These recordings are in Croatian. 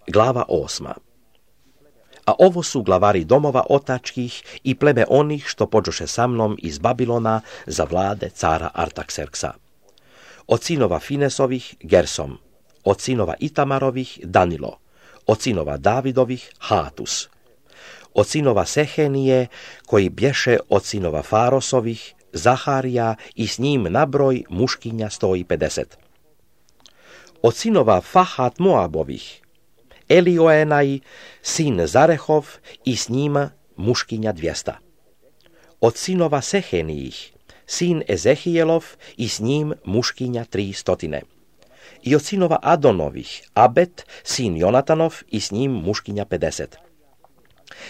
Glava 8. A ovo su glavari domova otačkih i pleme onih što pođoše sa mnom iz Babilona za vlade cara Artakserksa. Od sinova Finesovih Gersom, od sinova Itamarovih Danilo, od sinova Davidovih Hatus, od sinova Sehenije, koji bješe od sinova Farosovih, Zaharija i s njim nabroj muškinja 150. Od sinova Fahat Moabovih, Elioenaj, sin Zarehov i s njima muškinja 200. Od sinova Sehenijih, sin Ezehijelov i s njim muškinja 300. I od sinova Adonovih, Abet, sin Jonatanov i s njim muškinja 50.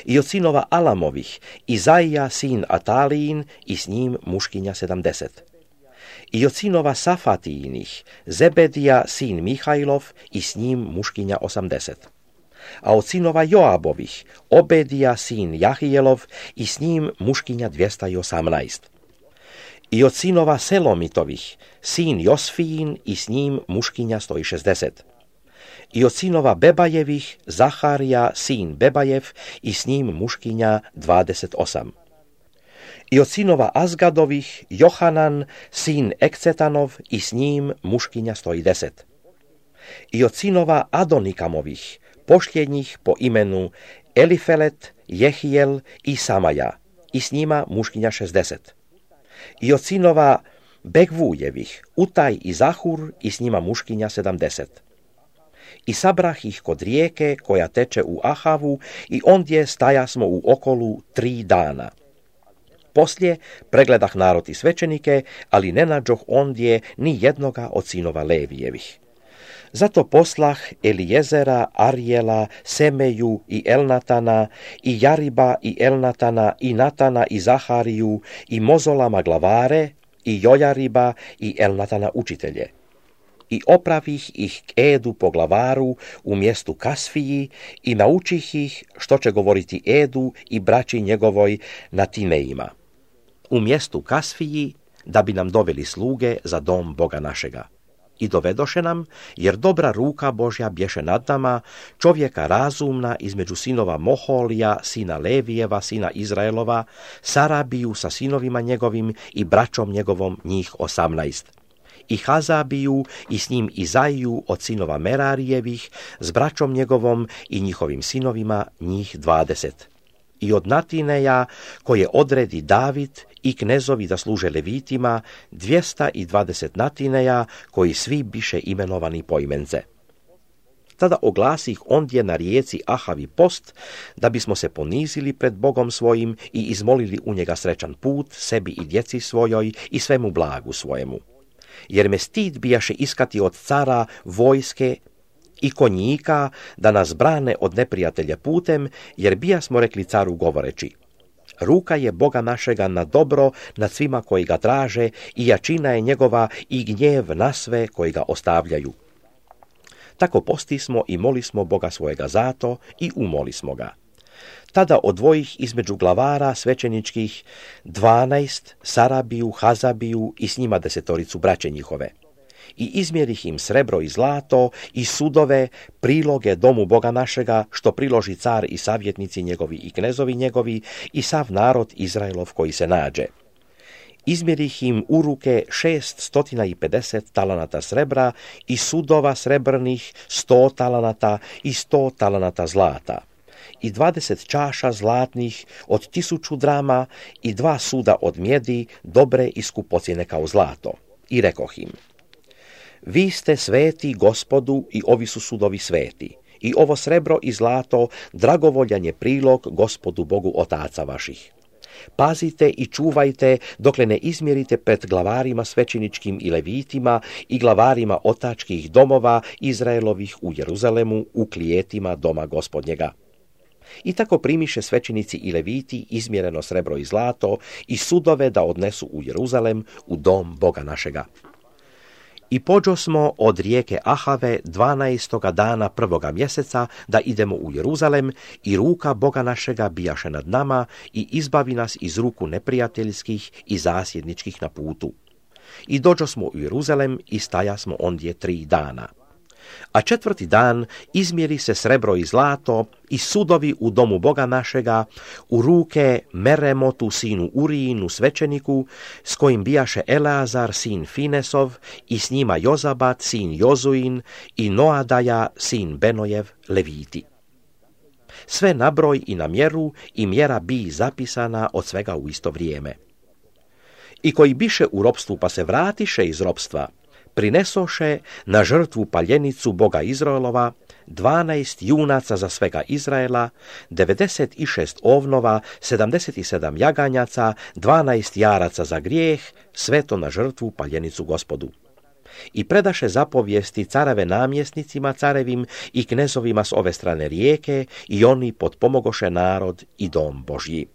I od sinova Alamovih, Izaija, sin Atalijin i s njim muškinja 70. I od sinova Safatijinih, Zebedija, sin Mihajlov i s njim muškinja 80. A od sinova Joabovih, Obedija, sin Jahijelov i s njim muškinja 218. I od sinova Selomitovih, sin Josfijin i s njim muškinja 160. I od sinova Bebajevih, Zaharija, sin Bebajev i s njim muškinja 28. I od sinova Azgadovih, Johanan, sin Ekcetanov i s njim muškinja 110. I od sinova Adonikamovih, pošljednjih po imenu Elifelet, Jehijel i Samaja i s njima muškinja 60. I od sinova Begvujevih, Utaj i Zahur i s njima muškinja 70. I sabrah ih kod rijeke koja teče u Ahavu i ondje stajasmo u okolu 3 dana. Poslije pregledah narod i svećenike, ali ne nađoh ondje ni jednoga od sinova Levijevih. Zato poslah Elijezera, Arjela, Semeju i Elnatana, i Jariba i Elnatana, i Natana i Zahariju, i Mozolama glavare, i Jojariba i Elnatana učitelje. I opravih ih k Edu po glavaru u mjestu Kasfiji i naučih ih što će govoriti Edu i braći njegovoj na Tineima. U mjestu Kasfiji da bi nam doveli sluge za dom Boga našega. I dovedoše nam, jer dobra ruka Božja bješe nad nama, čovjeka razumna između sinova Moholija, sina Levijeva, sina Izraelova, Sarabiju sa sinovima njegovim i braćom njegovom njih 18. I Hazabiju i s njim Izaiju od sinova Merarijevih, s braćom njegovom i njihovim sinovima njih 20. I od Natineja, koje odredi David i knezovi da služe levitima, 220 Natineja, koji svi biše imenovani poimence. Tada oglasih ondje na rijeci Ahavi post, da bismo se ponizili pred Bogom svojim i izmolili u njega srećan put, sebi i djeci svojoj i svemu blagu svojemu. Jer me stid bijaše iskati od cara vojske i konjika da nas brane od neprijatelja putem, jer bijasmo rekli caru govoreći: ruka je Boga našega na dobro nad svima koji ga traže i jačina je njegova i gnjev na sve koji ga ostavljaju. Tako postismo i molismo Boga svojega zato i umolismo ga. Tada odvojih između glavara svećeničkih 12, Sarabiju, Hazabiju i s njima 10 braće njihove. I izmjerih im srebro i zlato i sudove, priloge domu Boga našega, što priloži car i savjetnici njegovi i knezovi njegovi i sav narod Izraelov koji se nađe. Izmjerih im u ruke 650 talanata srebra i sudova srebrnih 100 talanata i 100 talanata zlata. I 20 čaša zlatnih od 1000 drama i 2 suda od mjedi, dobre i skupocjene kao zlato. I rekoh im: vi ste sveti Gospodu i ovi su sudovi sveti. I ovo srebro i zlato dragovoljan je prilog Gospodu Bogu otaca vaših. Pazite i čuvajte dokle ne izmjerite pred glavarima svećeničkim i levitima i glavarima otačkih domova Izraelovih u Jeruzalemu u klijetima doma Gospodnjega. I tako primiše svećenici i leviti izmjereno srebro i zlato i sudove da odnesu u Jeruzalem u dom Boga našega. I pođosmo od rijeke Ahave 12. dana 1. mjeseca da idemo u Jeruzalem i ruka Boga našega bijaše nad nama i izbavi nas iz ruku neprijateljskih i zasjedničkih na putu. I dođosmo u Jeruzalem i stajasmo ondje 3 dana. A 4. dan izmjeri se srebro i zlato i sudovi u domu Boga našega u ruke Meremotu sinu Urijinu svećeniku, s kojim bijaše Eleazar sin Finesov i s njima Jozabat sin Jozuin i Noadaja sin Benojev leviti. Sve na broj i na mjeru i mjera bi zapisana od svega u isto vrijeme. I koji biše u ropstvu pa se vratiše iz ropstva, prinesoše na žrtvu paljenicu Boga Izraelova 12 junaca za svega Izraela, 96 ovnova, 77 jaganjaca, 12 jaraca za grijeh, sve to na žrtvu paljenicu Gospodu. I predaše zapovijesti careve namjesnicima carevim i knezovima s ove strane rijeke i oni potpomogoše narod i dom Božji.